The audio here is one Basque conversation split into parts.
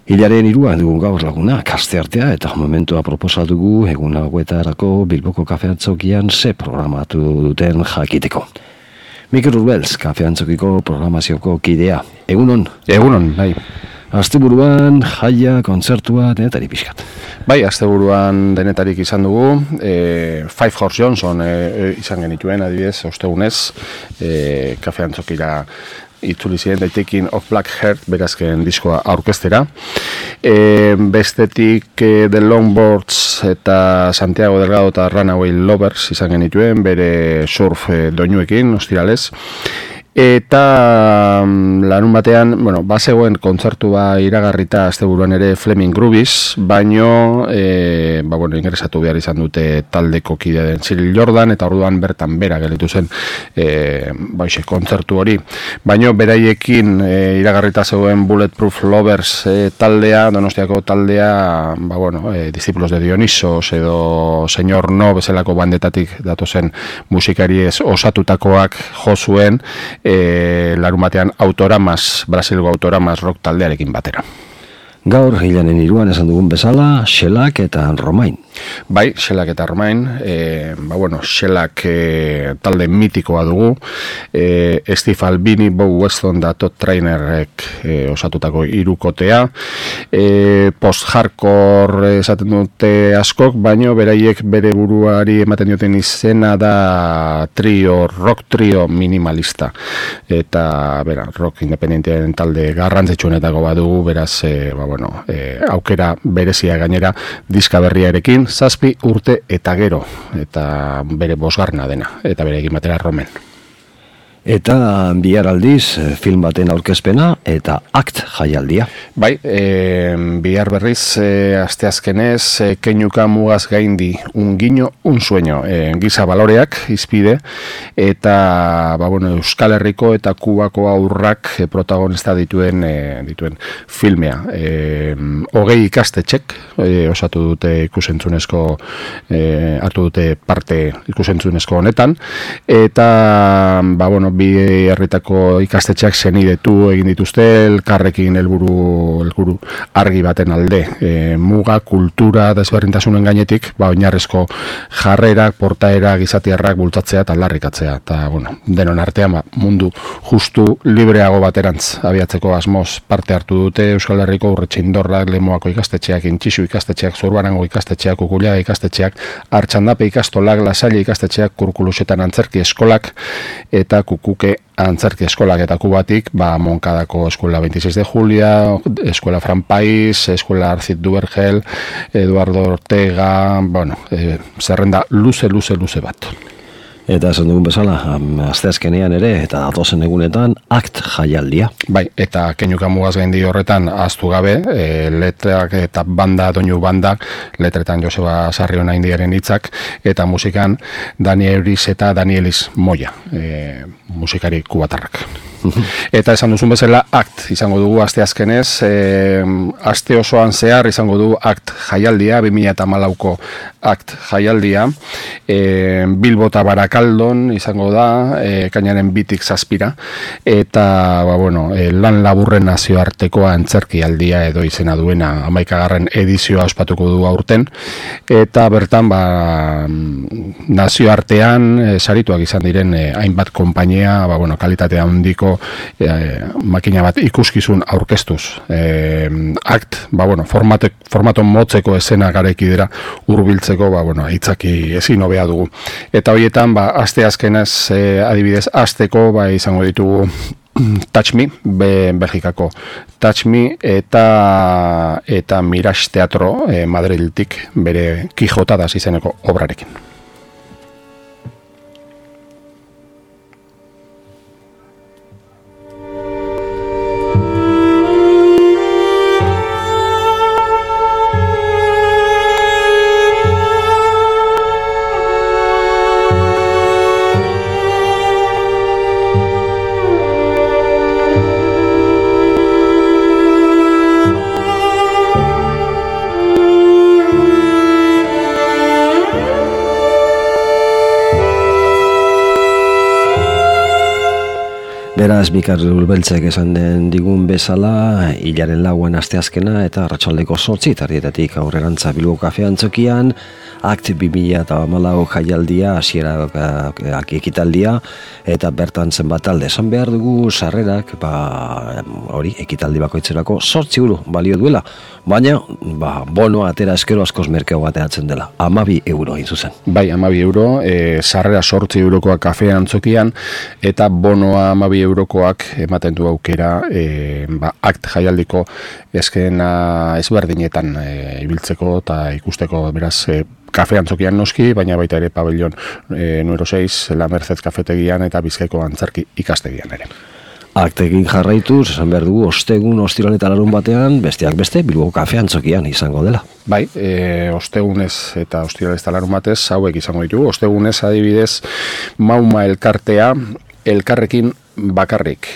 Hilaren 3 dugu gaur laguna, asteartea eta momentua proposatu dugu egun hauetarako Bilboko kafeantzokian ze programatu duten jakiteko. Mikel Urbelz, kafeantzokiko programazioko kidea. Egunon? Egunon, bai. Asteburuan, jaia, kontzertua, denetarik pixkat. Bai, asteburuan denetarik izan dugu. Five Horse Johnson izan genituen, adibidez, ostegunez, kafeantzokira itzuli ziren daitekin of Black Heart berazken diskoa aurkeztera. Bestetik The Longboards eta Santiago Delgado eta Runaway Lovers izan genituen, bere surf doinuekin, ostiralez. Eta larun batean, bazegoen kontzertua iragarrita asteburuan ere Fleming Groovies, baino ingresatu behar izan dute taldeko kidea den Cyril Jordan, eta orduan bertan bera gelditu zen kontzertu hori. Baino beraiekin iragarrita zegoen Bulletproof Lovers taldea, Donostiako taldea, Discípulos de Dionisos edo Señor No bezalako bandetatik datozen musikariez osatutakoak jo zuen, larun batean Brasilgo Autoramas rock taldearekin batera. Gaur, Hilaren 3 esan dugun bezala, Shellac eta Romain. Bai, Shellac eta Romain, Shellac talde mitikoa dugu, Steve Albini, Bob Weston da Todd Trainerrek osatutako hirukotea, post-hardcore esaten dute askok, baino beraiek bere buruari ematen dioten izena da rock trio minimalista, eta rock independentearen talde garrantzitsuenetako badugu, beraz, aukera berezia gainera diska berriarekin, 7 urte eta gero, eta bere 5. dena, eta bere egin batera Romen. Eta bihar aldiz, film baten aurkezpena eta ACT jaialdia. Bai, bihar berriz, asteazkenez, Keinuka mugaz gaindi, un guiño, un sueño, giza baloreak, izpide, eta Euskal Herriko eta Kubako aurrak protagonista dituen filmea. 20 ikastetxek osatu dute ikusentzunezko, hartu dute parte ikusentzunezko honetan, eta bi herritako ikastetxeak senidetu egin dituzte elkarrekin helburu argi baten alde. Muga, kultura, desberdintasunen gainetik, oinarrizko jarrerak, portaerak, gizatiarrak bultzatzea eta aldarrikatzea. Eta, denon artean, mundu justu libreago baterantz abiatzeko asmoz parte hartu dute Euskal Herriko Urretxindorrak, Lemoako ikastetxeak, Intxisu ikastetxeak, Zurbarango ikastetxeak, Ukuliaga ikastetxeak, Artxandape ikastolak, Lasalle ikastetxeak, Kurkulusetan antzerki eskolak, eta Kuke antzerki eskolak eta Kubatik, Moncadako Escuela 26 de Julia, Escuela Fran Pais, Escuela Arcid Duvergel, Eduardo Ortega, zerrenda luze bat. Eta esan dugun bezala, asteazkenean ere, eta datozen egunetan, ACT jaialdia. Bai, eta Keinuka mugaz gaindi horretan ahaztu gabe, letrak eta doinu banda, letretan Joseba Sarriona indiaren hitzak, eta musikan Daniel Euriz eta Danielis Moya, musikari kubatarrak. Eta esan duzun bezala ACT izango dugu asteazkenez, aste osoan zehar izango dugu ACT jaialdia, 2014ko ACT jaialdia, Bilbo eta Barakaldon izango da, kainaren 2tik 7, eta lan laburren nazioarteko antzerkialdia edo izena duena 11. edizioa ospatuko du aurten, eta bertan nazioartean sarituak izan diren hainbat konpainia, kalitatea handiko makina bat ikuskizun aurkeztuz. ACT, formato motzeko esena garekidera hurbiltzeko, hitzaki ezin hobea dugu. Eta horietan, asteazkenez adibidez, asteko izango ditugu Touch Me, Belgikako Touch Me, eta Mirage Teatro Madrildik bere Kijotadas izeneko obrarekin. Beraz, Mikar Urbeltzek esan den digun bezala, hilaren lauan asteazkena eta arratsaldeko 8 tardietatik aurrerantza Bilbo Kafe Antzokian, Akt 2014 jaialdia, hasiera ekitaldia, eta bertan zenbat talde. Esan behar dugu sarrerak, hori, ekitaldi bakoitzerako 8 euro balio duela, baina bonoa atera eskero askoz merkeo bateatzen dela, 12 euro hain zuzen. Bai, 12 euro, sarrera 8 eurokoa Kafe Antzokian, eta bonoa 12 eurokoak ematen du aukera Akt jaialdiko eskena ezberdinetan ibiltzeko eta ikusteko, beraz, Kafe Antzokian noski, baina baita ere pabellon número 6, La Merced kafetegian eta Bizkaiko antzerki ikastegian ere. Aktekin jarraituz, esan behar dugu, ostegun, ostiral eta larun batean, besteak beste, Bilbo Kafe Antzokian izango dela. Bai, ostegunez eta ostiral eta larun batez, hauek izango ditugu. Ostegunez adibidez, Mauma elkartea, elkarrekin bakarrik.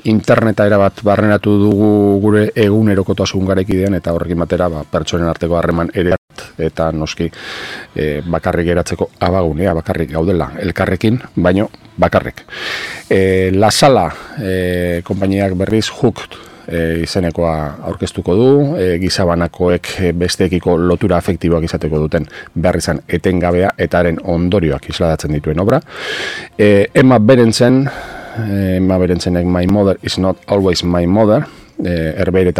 Interneta erabat barrenatu dugu gure egunerokotasun garekidean eta horrekin batera pertsonen arteko harreman ere eta noski bakarrik geratzeko abagunea, bakarrik gaudela elkarrekin, baino bakarrik. La Sala konpainiak berriz Hooked izenekoa aurkeztuko du, gizabanakoek besteekiko lotura afektiboak izateko duten behar izan etengabea eta haren ondorioak isladatzen dituen obra. Emma Berentzenek My Mother is Not Always My Mother, Herbera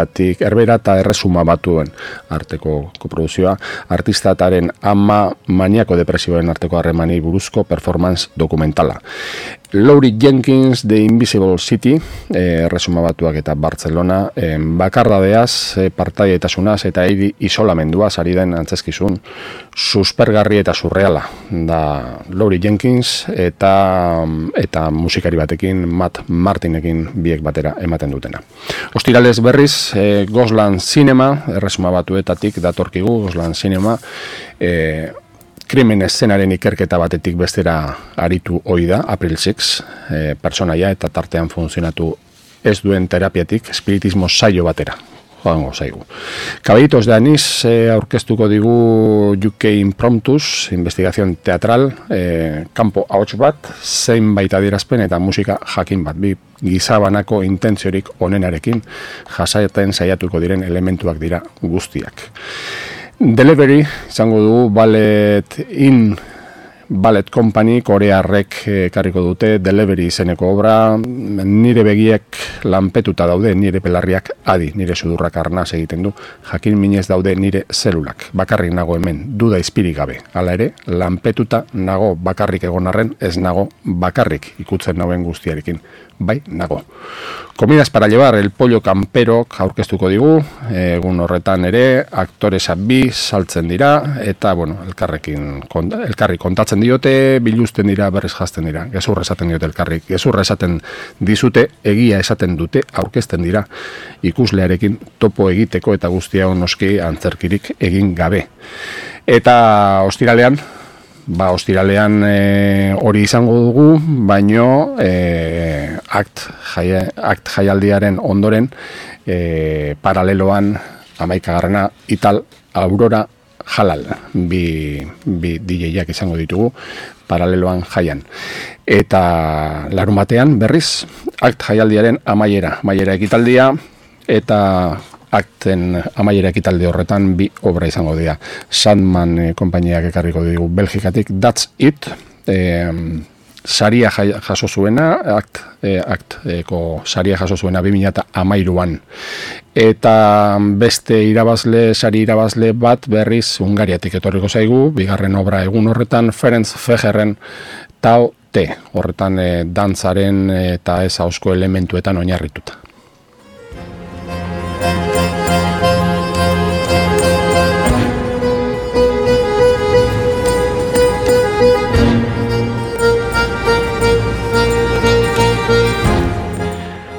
eta Erresuma Batuen arteko koproduzioa, artistataren ama maniako depresioen arteko harremani buruzko performance dokumentala. Laurie Jenkins, The Invisible City, Erresuma Batuak eta Barcelona, bakardadeaz, partaietasunaz eta isolamenduaz ari den antzezkizun suspergarri eta surreala da Laurie Jenkins eta musikari batekin, Matt Martinekin biek batera ematen dutena. Ostiralez berriz, Gosland Cinema, Erresuma Batuetatik datorkigu, Gosland Cinema, krimen eszenaren ikerketa batetik bestera aritu ohi da, April 6, personaia eta tartean funtzionatu ez duen terapiatik, espiritismo saio batera. Joango zaigu. Caballitos de Anís aurkeztuko digu UK Impromptus, investigación teatral, kanpo ahots bat, zeinbait adierazpen eta musika jakin bat, bi gizabanako intentziorik onenarekin jasaten saiatuko diren elementuak dira guztiak. Delivery izango dugu Ballet Company, korearrek karriko dute, Delivery izeneko obra, nire begiek lanpetuta daude, nire pelarriak adi, nire sudurrak arnaz egiten du, jakin minez daude nire zelulak, bakarrik nago hemen, duda izpirik gabe, hala ere, lanpetuta nago bakarrik egon arren, ez nago bakarrik ikutzen nauen guztiarekin, bai, nago. Comidas para llevar, El Pollo Camperok aurkeztuko digu, egun horretan ere, aktoresa bi saltzen dira, eta, bueno, elkarri kontatzen diote, biluzten dira, berriz jazten dira, gezurra esaten diote elkarrik, gezurra esaten dizute, egia esaten dute, aurkezten dira, ikuslearekin topo egiteko eta guztia noski antzerkirik egin gabe. Eta ostiralean hori izango dugu, baino akt jaialdiaren ondoren paraleloan 11. Ital Aurora Halal, bi DJ-ak izango ditugu paraleloan jaian. Eta larun batean berriz akt jaialdiaren amaiera ekitaldia eta akten amaiera ekitaldi horretan bi obra izango dira. Sandman konpainiak ekarriko dugu Belgikatik, That's It, saria jaso zuena, akteko saria jaso zuena 2013an. Eta beste sari irabazle bat berriz Hungariatik etorriko zaigu, bigarren obra egun horretan, Ferenc Fejerren Tao Te, horretan dantzaren eta ez ahozko elementuetan oinarrituta.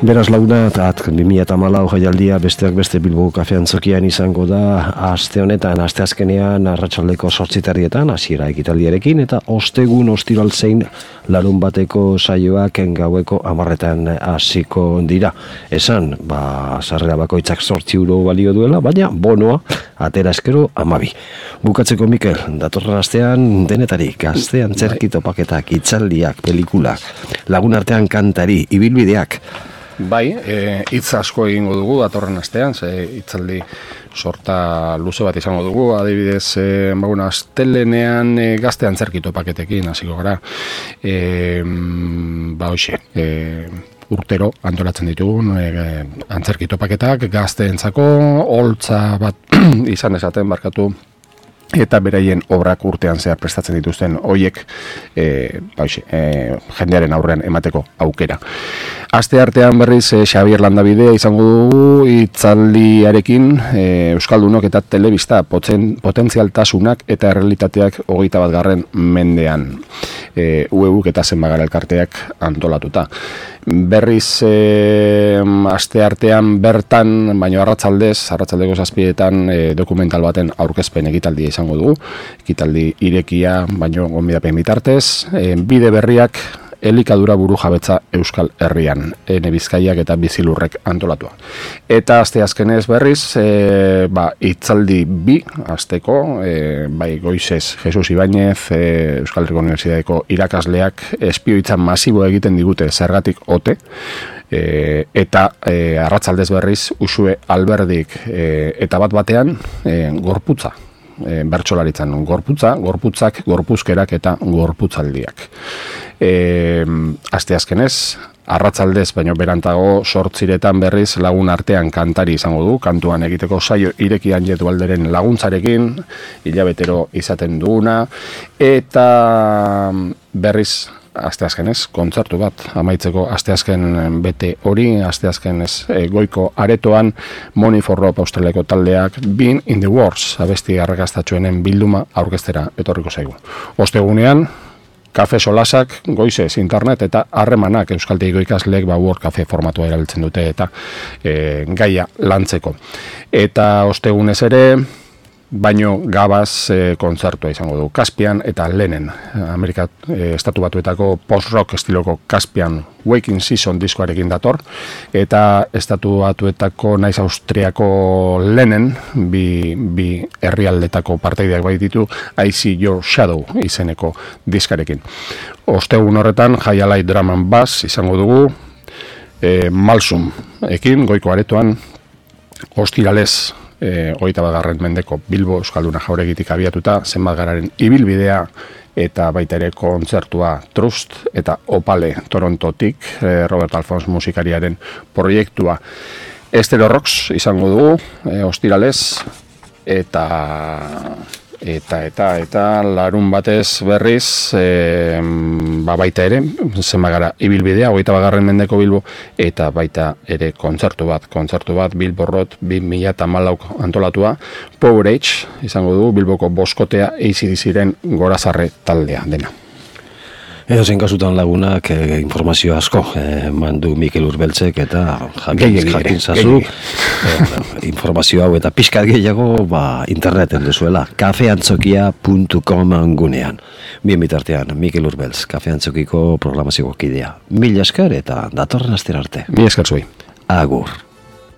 Beraz laguna, 2014 jaialdia besteak beste Bilboko Kafe Antzokian izango da aste honetan, asteazkenean arratsaldeko 8:00 hasiera ekitaldiarekin eta ostegun ostiral zein larun bateko saioak gaueko 10:00 hasiko dira. Esan, sarrera bakoitzak 8 euro balio duela, baina bonoa atera eskero 12. Bukatzeko Mikel, datorren astean denetarik, gazte antzerki topaketak, hitzaldiak, pelikulak, lagun artean kantari, ibilbideak. Bai, hitz asko egingo dugu datorren astean, hitzaldi sorta luze bat izango dugu, adibidez, astelenean gazte antzerki topaketekin hasiko gara. Urtero antolatzen ditugun antzerki topaketak gazteentzako holtza bat izan esaten barkatu, eta beraien obrak urtean zehar prestatzen dituzten hoiek jendearen aurrean emateko aukera. Aste artean berriz Xabier Landabidea izango dugu hitzaldiarekin Euskaldunok eta telebista potentzialtasunak eta errealitateak 21. mendean. UEUk eta Zenbagara elkarteak antolatuta. Berriz aste artean bertan, baino arratsaldeko 7:00 dokumental baten aurkezpen ekitaldia izango dugu. Ekitaldi irekia, baino gonbidapen bitartez, bide berriak elikadura burujabetza Euskal Herrian, Ene Bizkaiak eta Bizilurrek antolatua. Eta asteazkenez berriz, hitzaldi 2 asteko, bai goizez Jesus Ibañez, Euskal Herriko Unibertsitateko irakasleak espioitza masibo egiten digute zergatik ote, eta arratsaldez berriz Uxue Alberdik eta batean gorputza, bertsolaritzan gorputzak, gorpuzkerak eta gorputzaldiak. Asteazkenez, arratsaldez baino berantago 8:00 berriz lagun artean kantari izango du, kantuan egiteko saio irekian Jetualderen laguntzarekin, hilabetero izaten duguna, eta berriz asteazkenez kontzertu bat amaitzeko asteazken bete hori, asteazkenez goiko aretoan Money for Rope Australiako taldeak Being in the Wars abesti arrakastatxoenen bilduma aurkeztera etorriko zaigu. Ostegunean kafe solasak, goizez, internet eta harremanak euskaltegiko ikasleek World Cafe formatua erabiltzen dute eta gaia lantzeko. Eta ostegunez ere, baino gabaz kontzertua izango du. Kaspian eta Lenen, Amerika Estatu Batuetako post-rock estiloko Kaspian Waking Season diskoarekin dator, eta Estatu Batuetako naiz Austriako Lenen, bi herrialdetako parteideak baititu, I See Your Shadow izeneko diskarekin. Ostegun horretan, Jaialai Drum and Bass izango dugu, Malsum ekin, goiko aretoan, ostiralez, 21. mendeko Bilbo Euskalduna jauregitik abiatuta, Zenbagararen ibilbidea eta baita ere kontzertua Trust eta Opale Torontotik, Robert Alphonse musikariaren proiektua. Estero Rocks izango dugu, ostiralez, eta larun batez berriz, baita ere, Zenbagara ibilbidea, 21. mendeko Bilbo, eta baita ere kontzertu bat Bilbo Road 2014 antolatua, Power Age izango du, Bilboko boskotea AC/DCren Gorazarre taldea dena. Edozein kasutan lagunak informazio asko mandu Mikel Urbeltzek eta jakin zazu informazio hau eta pixkat gehiago interneten duzuela kafeantzokia.com gunean. Bien bitartean, Mikel Urbeltz, Kafeantzokiko programazio kidea. Mila esker eta datorren astera arte. Mila esker zuei. Agur.